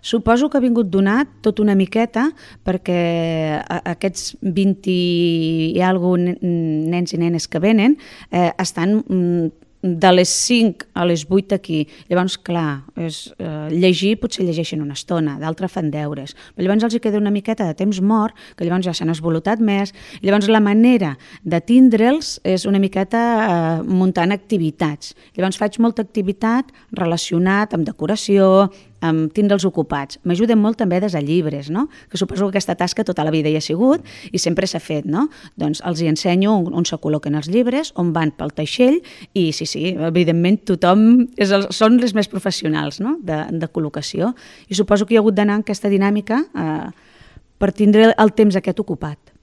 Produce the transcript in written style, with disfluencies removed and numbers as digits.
Suposo que ha vingut donat tot una miqueta perquè aquests 20 i alguna nens i nenes que venen estan de les 5 a les 8 aquí. Llavors, clar, llegir potser llegeixen una estona, d'altres fan deures. Però llavors els queda una miqueta de temps mort, que llavors ja s'han esvolotat més. Llavors la manera de tindre'ls és una miqueta muntant activitats. Llavors faig molta activitat relacionat amb decoració, amb tindre'ls ocupats. M'ajuden molt també des de llibres, no? Que suposo que aquesta tasca tota la vida hi ha sigut i sempre s'ha fet, no? Doncs els hi ensenyo on se col·loquen els llibres, on van pel teixell i sí, evidentment tothom són els més professionals, no? de col·locació, i suposo que hi ha hagut d'anar en aquesta dinàmica per tindre el temps aquest ocupat.